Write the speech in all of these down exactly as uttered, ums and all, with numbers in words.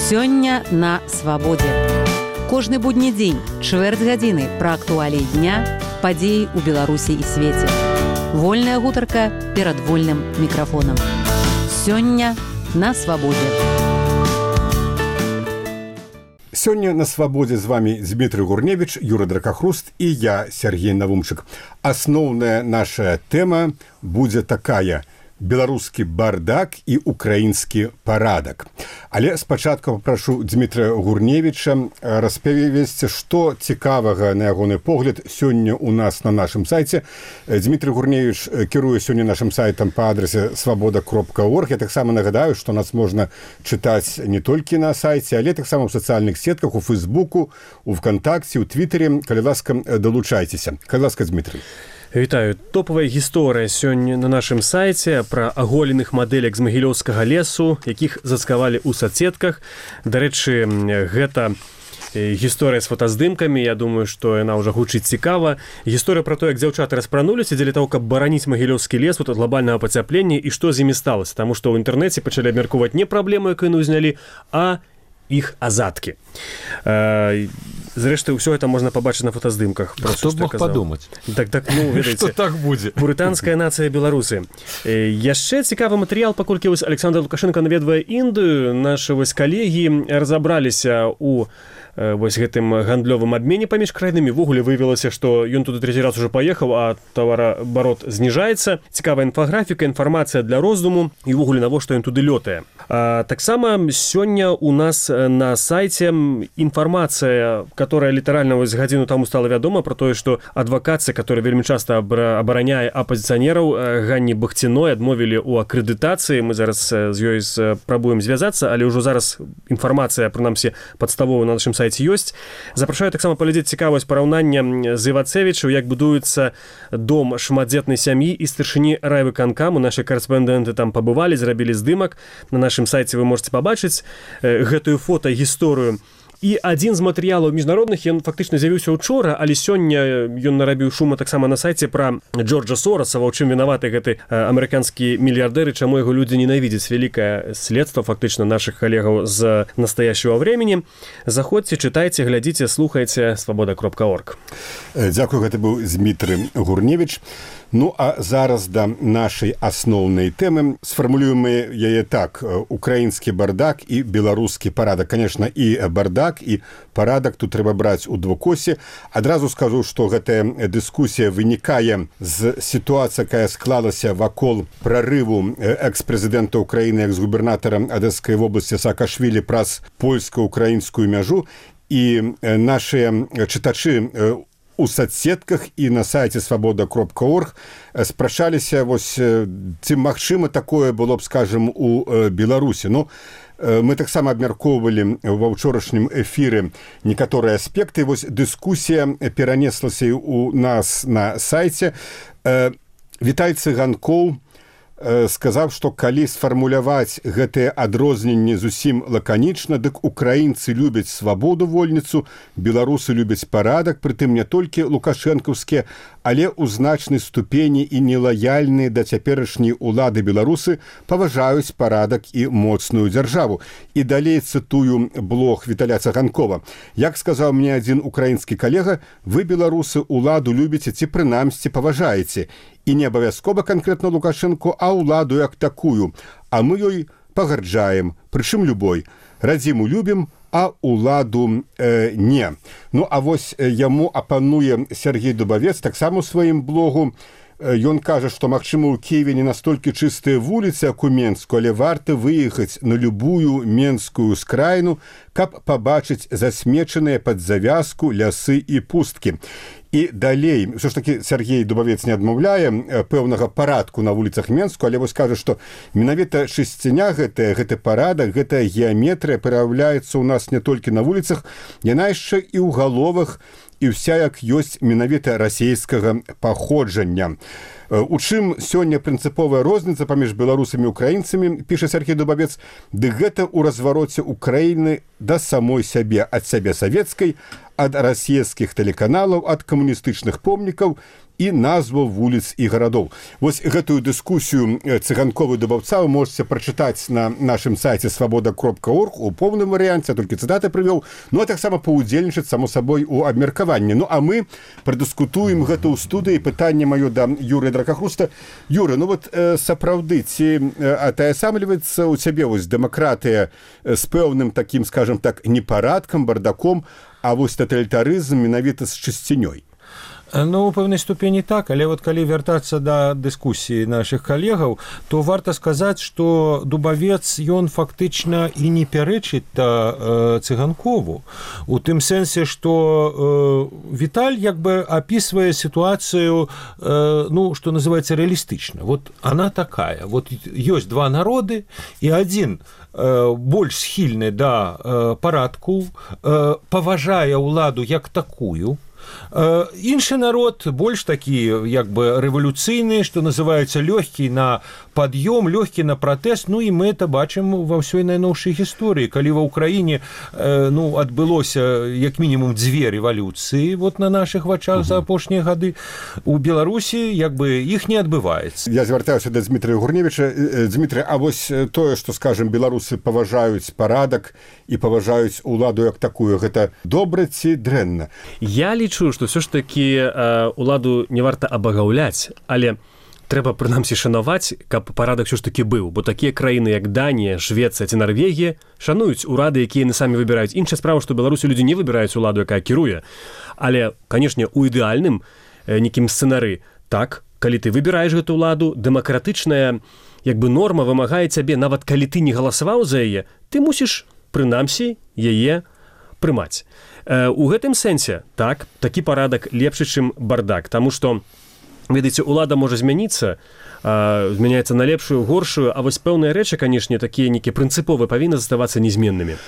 Сёння на свабодзе. Кожны будні дзень, чвэрць гадзіны пра актуаліі дня, падзеі ў Беларусі і свеце. Вольная гутарка перад вольным мікрафонам. Сёння на свабодзе. Сёння на свабодзе з вами Дмітрый Гурневіч, Юра Дракахруст і я, Сергей Навумчык. Асноўная наша тэма будзе такая: беларускі бардак і украінскі парадак. Але спачатку папрашу Дмітрая Гурневіча распавесці, што цікавага, на ягоны погляд, сёння ў нас на нашым сайце. Дмітрый Гурневіч кіруе сёння нашым сайтам па адрасе свабода кропка орг. Я таксама нагадаю, што нас можна чытаць не толькі на сайце, але таксама ў сацыяльных сетках, у Фейсбуку, у ВКонтакце, у Твіттере. Калі ласка, далучайцеся. Калі ласка, Дмітрый. Вітаю. Топавая гісторыя сёння на нашым сайце пра аголеных мадэляк з магілёўскага лесу, якіх зацкавалі ў сацетках. Дарэчы, гэта гісторыя з фотаздымкамі. Я думаю, што яна ўжо гучыць цікава. Гісторыя пра то, як дзяўчаты распрануліся дзеля таго, каб бараніць магілёўскі лес ад глобальнага пацяплення і што з імі сталася. Таму што ў інтэрнэце пачалі абмяркоўваць не праблему, якую яны ўзнялі, а іх азадкі. Зрэшты, ўсё гэта можна пабачыць на фотаздымках. Хто б мог падумаць? Так, так, ну, ведаеце, што так будзе? Пурытанская нацыя беларусы. Яшчэ цікавы матэрыял, паколькі вось Александр Лукашенко наведвае Індыю, нашы вось калегі разабраліся ў вось гэтым гандлёвым абмене паміж краінамі. Ввогуле выявілася, што ён туды трэці раз уже паехаў, а тавараабарот зніжаецца. Цікавая інфаграфіка, інфармацыя для роздуму і ввогуле навошта ён туды лётае. А таксама сёння у нас на сайце інфармацыя, которая літаральна вось гадзіну таму стала вядома пра тое, што адвакацыя, которая вельмі часта абараняе апазіцыянераў, Ганні Бахціной адмовілі ў акрэдытацыі. Мы зараз з ёй спрабуем звязацца, але ўжо зараз інфармацыя, прынамсі, падставовая на нашым сайце ёсць. Запрашаю таксама паглядзець цікавасць параўнання з Івацевічаў, як будуецца дом шматдзетнай сям'і і старшыні райвыканкаму. Нашы карэспандэнты там пабывалі, зрабілі здымак. На нашым сайце вы можете пабачыць гэтую фотагісторыю. І адзін з матэрыялаў міжнародных, ён фактычна з'явіўся учора, але сёння ён нарабіў шума таксама на сайце пра Джорджа Сораса, у чым вінаваты гэты амерыканскі мільярдэр і чаму яго людзі ненавідзяць. Вялікае следства фактычна нашых калегаў з настаящего времени. Заходзьце, чытайце, глядзіце, слухайце. свабода кропка орг. Дзякую, гэта быў Дмітрый Гурневіч. Ну, а зараз да нашай асноўнай тэмы. Сфармулюем мы яе так: украінскі бардак і беларускі парадак. Конечно, і бардак, і парадак тут трэба браць у двукосе. Адразу скажу, што гэтая дыскусія вынікае з сітуацыі, якая склалася вакол прарыву экс-прэзідэнта Украіны, экс-губернатара Адэскай вобласці Саакашвілі праз польска-украінскую мяжу. І нашыя чытачы у сацсетках і на сайце свабода кропка орг спрачаліся, вось, ці магчыма такое было б, скажем, у Беларусі. Ну, мы таксама абмяркоўвалі ва ўчорашнім эфіры некаторыя аспекты. Вось дыскусія перанеслася у нас на сайце. Вітай Цыганкоў сказаў, што калі сфармуляваць гэтыя адрозненні зусім лаканічна, дык украінцы любяць свабоду вольніцу, беларусы любяць парадак, прытым не толькі лукашэнкаўскія, але ў значнай ступені і нелаяльныя да цяперашняй улады беларусы паважаюць парадак і моцную дзяржаву. І далей цытую блог Віталя Цыганкова. Як сказаў мне адзін украінскі калега, вы, беларусы, уладу любіце ці прынамсі паважаеце. І не абавязкова канкрэтна Лукашэнку, а ўладу як такую. А мы ёй пагарджаем, прычым любой. Радзіму любім, а ўладу э, не. Ну, а вось яму апануе Сергей Дубавец, таксама у сваім блогу. Ён кажа, што, магчыма, у Киеве не настолькі чыстыя вуліцы, як у Менску, але варта выехаць на любую менскую скраіну, каб пабачыць засмечаныя пад завязку лясы і пусткі. І далей, ўсё ж такі Сергей Дубавец не адмаўляе пэўнага парадку на вуліцах Менску, але вось кажа, што менавіта шысціня гэтая, гэты парадак, гэтая геаметрыя праяўляецца ў нас не толькі на вуліцах, яна яшчэ і ў галовах, і ўся як ёсць менавіта расейскага паходжання. У чым сёння прынцыповая розніца паміж беларусамі і украінцамі, піша Сергей Дубавец, ды гэта ў развароце Украіны да самой сябе, ад сябе савецкай, ад расійскіх тэлеканалаў, ад камуністычных помнікаў і назваў вуліц і гарадоў. Вось гэтую дыскусію цыганковы дубаўца вы можете прачытаць на нашым сайце свабода кропка орг у поўным варыянце, толькі цытаты прывёў, ну а таксама паўдзельнічаць, само сабой, у абмеркаванні. Ну а мы прадыскутуем гэта ў студыі. Пытанне маё да Юрыя Дракахруста. Юра, ну вот э, сапраўды, ці атаясамліваецца ў цябе вось дэмакратыя з пэўным такім, скажем так, непарадкам, бардаком, а вось таталітарызм менавіта з чысцінёй? Ну, у пэўнай ступені так, але вот калі вяртацца да дыскусіі нашых калегаў, то варта сказаць, што Дубавец, ён фактычна і не пярэчыць та э, цыганкову. У тым сэнсе, што э, Віталь як бы апісвае сітуацыю, э, ну, што называецца рэалістычна. Вот она такая. Вот ёсць два народы, і адзін э, больш схільны да э, парадку, э, паважае ўладу як такую, іншы народ больш такі як бы рэвалюцыйны, што называецца лёгкі на пад'ём, лёгкі на пратэст. Ну і мы это бачым ва ўсёй найноўшай гісторыі, калі ва ўкраіне э, ну адбылося як мінімум дзве рэвалюцыі вот на нашых вачах за апошнія гады. У Беларусі як бы іх не адбываецца. Я звяртаюся да Дмітрия Гурневіча. Дмітрий, а вось тое, што, скажем, беларусы паважаюць парадак і паважаюць уладу як такую, гэта добра ці дрэнна? Я лічу, што ўсё ж такі э, уладу не варта абагаўляць, але трэба прынамсі шанаваць, каб парадак ўсё ж такі быў, бо такія краіны як Данія, Швецыя ці Нарвегія шануюць урады, якія яны самі выбіраюць. Іншая справа, што Беларусі людзі не выбіраюць уладу, якая кіруе, але, канешне, у ідэальным э, некім сцэнары так, калі ты выбіраеш гэту ўладу, дэмакратычная як бы норма вымагае цябе, нават калі ты не галасаваў за яе, ты мусіш прынамсі яе прымаць. У гэтым сэнсе, так, такі парадак лепшы, чым бардак, таму што, ведаеце, улада можа змяніцца, змяняецца на лепшую, горшую, а вось пэўныя рэчы, канешне, такія нейкія прынцыповыя павінны заставацца незменнымі.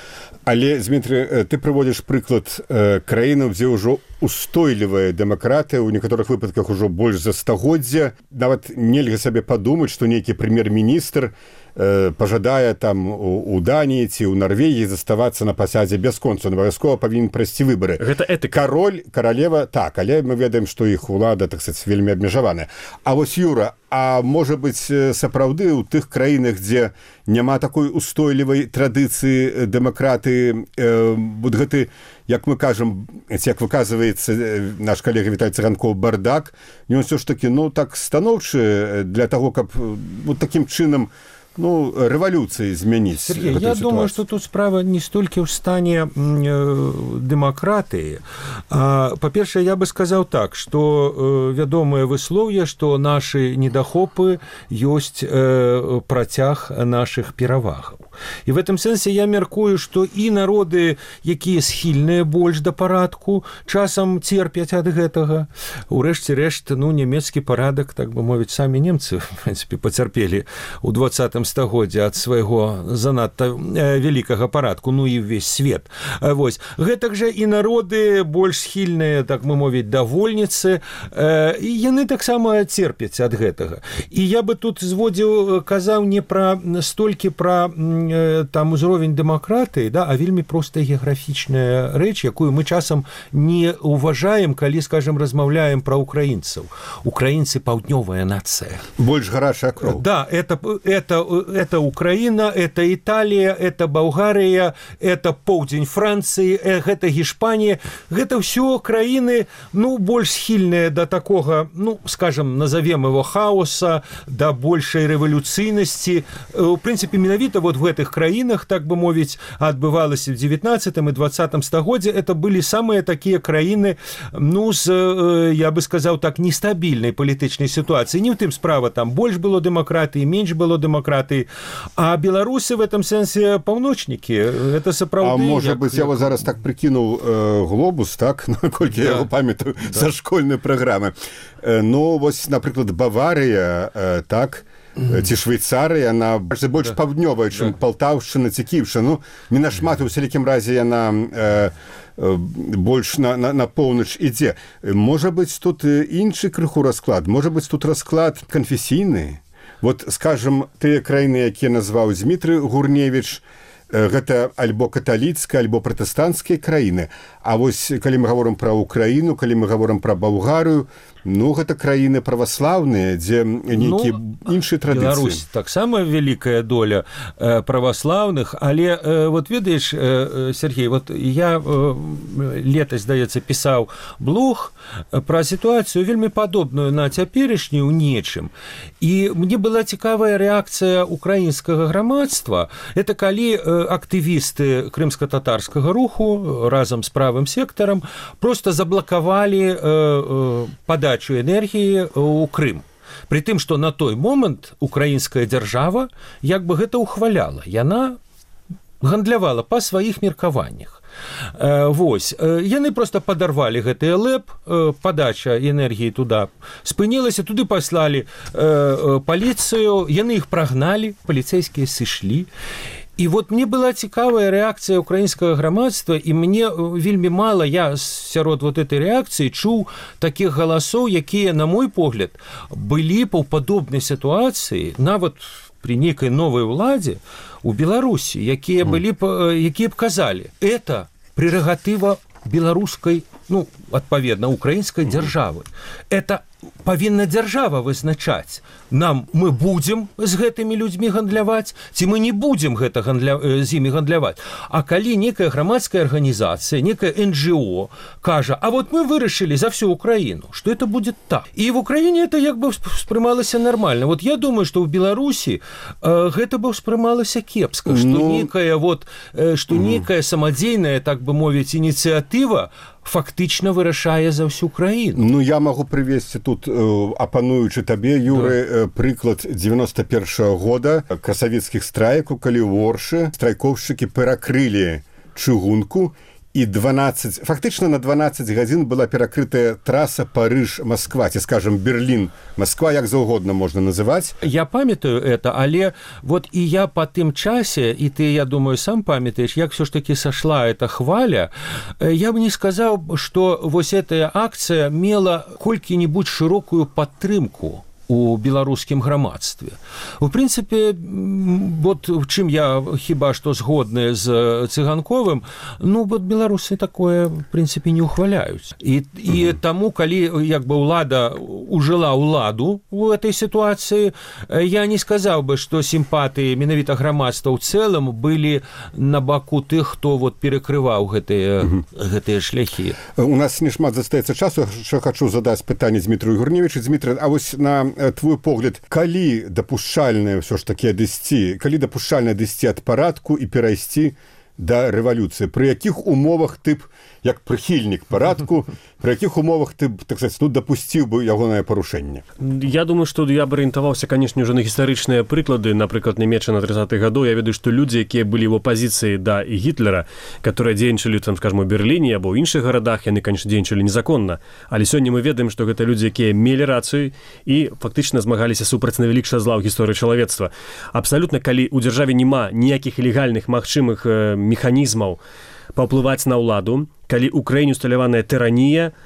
Але, Дмітрий, ты прыводзіш прыклад э, краінаў, дзе ўжо устойлівая дэмакратыя, у некаторых выпадках ужо больш за стагоддзя. Нават нельга сабе падумаць, што нейкі прэм'ер-міністр э, пажадае там у, у Даніі ці ў Нарвегіі заставацца на пасадзе бясконца. Абавязкова павінен прайсці выбары. Гэта этыка. Кароль, каралева, так, але мы ведаем, што іх улада, так сказаць, вельмі абмежаваная. А вось, Юра, а можа быць, сапраўды ў тых краінах, дзе няма такой устойлівай традыцыі дэмакраты, э, вот гэты, як мы кажам, як выказваецца наш калега Віталь Цыганкоў, бардак, ён ўсё ж такі, ну, так станоўчы для таго, каб вот такім чынам, ну, рэвалюцыі змяніць. Сергей, я ситуацию. думаю, что тут справа не столькі ў стане э, дэмакратыі. Па-першае, я бы сказаў так, што э, вядомае выслоўе, што нашы недахопы ёсць э, працяг нашых перавагаў. І в этом сэнсе я мяркую, што і народы, якія схільныя больш да парадку, часам церпяць ад гэтага. Урэшце рэшт, ну, нямецкі парадак, так бы мовіць, самі немцы, в прынцыпе, пацярпелі ў двадцатым стагоддзя ад свайго занадта вялікага парадку, ну і ўвесь свет. Вось. Гэтак жа і народы больш схільныя, так мы мовіць, да вольніцы, і яны таксама церпяць ад гэтага. І я бы тут зводзіў, казаў не пра столькі пра там узровень дэмакратыі, да, а вельмі простая геаграфічная рэч, якую мы часам не уважаем, калі, скажем, размаўляем пра украінцаў. Украінцы паўднёвая нацыя. Больш гарачая кроў. Да, это, это, это Украина, это Италия, это Болгария, это поўдзень Францыі, гэта Гішпанія. Гэта ўсё краіны, ну, больш схільныя да такога, ну, скажем, назовем его хаоса, да большай рэвалюцыйнасці. В прынцыпе, менавіта вот в гэтых краінах, так бы мовіць, адбывалася в девятнадцатым и двадцатым стагоддзе, это былі самыя такія краіны, ну, з, я бы сказаў так, нестабільнай палітычнай сітуацыі. Не ў тым справа, там больш было дэмакратыі, менш было дэмакратыі, а беларусы в этом сэнсе паўночнікі. Это сапраўды... А можа як, быць, я як... вот зараз так прыкінуў э, глобус, так, наколькі да. я яго памятаю да. са школьнай праграмы. Э, ну, вось, напрыклад, Баварыя, э, так, Mm-hmm. ці Швейцарыя, яна больш да. паўднёвая, чым да. Палтаўшчына ці Кіўшчына. Ну, не нашмат, у сялікім разе яна э, э, больш на, на, на поўнач ідзе. Можа быць, тут іншы крыху расклад, можа быць, тут расклад канфесійны. Вот, скажем, тыя краіны, якія назваў Дмітрий Гурневіч, гэта альбо каталіцкая, альбо пратэстанцкія краіны. А вось калі мы гаворым пра Украіну, калі мы гаворым пра Балгарыю, ну гэта краіны праваслаўныя, дзе нейкія ну, іншыя традыцыі. Беларусь таксама вялікая доля э, праваслаўных, але э, вот ведаеш, э, Сергей, вот я э, летась, здаецца, пісаў блог пра сітуацыю вельмі падобную на цяперашнюю ў нечым. І мне была цікавая рэакцыя украінскага грамадства. Это калі э, актывісты крымска-татарскага руху разам з правым сектарам просто заблакавалі э, э, падачу энергіі ў Крым. Пры тым, што на той момант украінская дзяржава як бы гэта ухваляла. Яна гандлявала па сваіх меркаваннях. Вось, яны просто падарвалі гэты ЛЭП, падача энергіі туда спынілася, туды паслалі паліцыю, яны іх прагналі, паліцэйскія сышлі. І вот мне была цікавая рэакцыя украінскага грамадства, і мне вельмі мала, я сярод вот этой рэакцыі чуў такіх галасоў, якія, на мой погляд, былі паўпадобнай сітуацыі, нават при нейкай новай уладзе у Беларусі, якія былі, якія б казалі, это прерогатыва беларускай, ну, адпаведна, украінскай дзяржавы. Это павінна дзяржава вызначаць. Нам мы будзем з гэтымі людзьмі гандляваць, ці мы не будзем гэта гандля... з імі гандляваць. А калі некая грамадская арганізацыя, некая эн джи о кажа, а вот мы вырашылі за всю Украіну, што это будет так. І в Украіне это як бы ўспрымалася нормально. Вот я думаю, што ў Беларусі э, гэта бы ўспрымалася кепска, што ну... некая вот, э, што некая самадзейная, так бы мовіць, ініцыятыва фактычна вырашае за всю краіну. Ну, я магу прывесці тут, э, апануючы табе, Юры, да. э, прыклад дзевяносто першага года красавіцкіх страйкаў, калі ў Оршы страйкоўшчыкі перакрылі чыгунку, і дванаццаць, фактычна на дванаццаць гадзін была перакрытая траса Парыж-Масква, ці, скажем, Берлін-Масква, як заўгодна можна называць. Я памятаю это, але вот і я па тым часе, і ты, я думаю, сам памятаеш, як все ж таки сошла эта хваля, я бы не сказаў, што вось эта акцыя мела колькі-небудзь шырокую падтрымку у беларускім грамадстве. У прынцыпе, вот в чым я хіба што згодны з Цыганковым, ну, вот беларусы такое, в прынцыпе, не ухваляюць. І, і таму, калі як бы ўлада ужыла ўладу у этой сітуацыі, я не сказаў бы, што сімпатыі менавіта грамадства ў цэлым былі на баку тых, хто вот перакрываў гэтыя, гэтыя шляхі. У нас не шмат застаецца часу, що хачу задаць пытанне Дмітрию Гурневічу. Дмітрий, а вось на твой погляд, калі дапушчальна ўсё ж такі адысці, калі дапушчальна адысці ад парадку і перайсці да рэвалюцыі, пры якіх умовах ты б, як прыхільнік парадку, пры якіх умовах ты б, так сказать, ну, дапусціў бы ягонае парушэнне? Я думаю, што я б арыентаваўся, канешне, ўжо на гістарычныя прыклады, напрыклад, Нямецчына тридцатых гадоў. Я ведаю, што людзі, якія былі ў апазіцыі да і Гітлера, которые дзейнічалі, там, скажем, у Берліне або ў іншых гарадах, яны, конечно, дзейнічалі незаконна. Але сёння мы ведаем, што гэта людзі, якія мелі рацыю і фактычна змагаліся супраць найвялікшага зла ў гісторыі чалавецтва. Абсалютна, калі ў дзяржаве няма ніякіх легальных магчымых механізмаў паўплываць на ўладу, калі ў краіне усталяваная тыранія,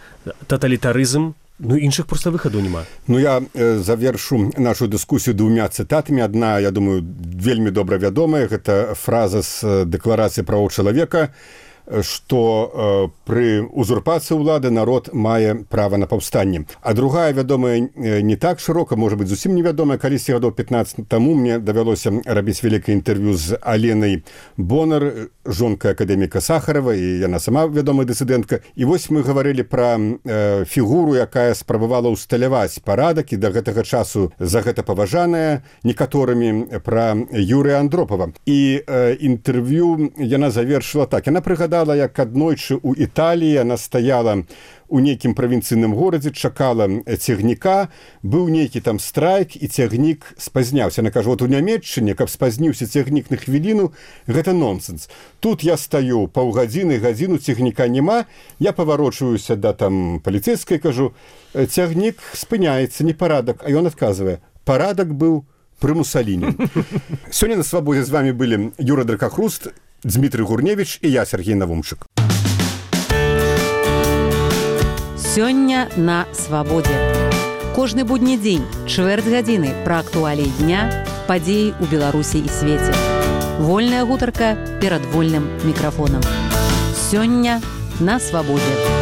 таталітарызм, ну, іншых проста выхаду няма. Ну, я э, завершу нашу дыскусію двумя цытатамі. Адна, я думаю, вельмі добра вядомая, гэта фраза з дэкларацыі правоў чалавека, што э, пры узурпацыі ўлады народ мае права на паўстанне. А другая, вядомая, не так шырока, можа быць, зусім невядомая. Калісьці гадоў пятнаццаць таму мне давялося рабіць вялікае інтэрв'ю з Аленай Бонар, жонкай акадэміка Сахарова, і яна сама вядомая дысідэнтка. І вось мы гаварылі пра э, фігуру, якая спрабавала ўсталяваць парадак, і да гэтага часу за гэта паважаная некаторымі, пра Юрыя Андропава. І э, інтэрв'ю яна завершыла так. Яна прыгадала, як аднойчы ў Італіі яна стаяла у нейкім правінцыйным горадзе, чакала цягніка, быў нейкі там страйк, і цягнік спазняўся. Яна кажа, вот у Нямецчыне, каб спазніўся цягнік на хвіліну, гэта нонсенс. Тут я стаю паўгадзіны, гадзіну, цягніка няма, я паварочваюся да там паліцэйскай, кажу, цягнік спыняецца, непарадак, а ён адказвае, парадак быў пры Мусаліні. Сёння на свабодзе з вами былі Юра Дракахруст, Дмітрий Гурневіч і я, Сергей Навумчык. Сёння на свабодзе. Кожны будні дзень, чвэрць гадзіны пра актуаліі дня, падзеі ў Беларусі і свеце. Вольная гутарка перад вольным мікрафонам. Сёння на свабодзе.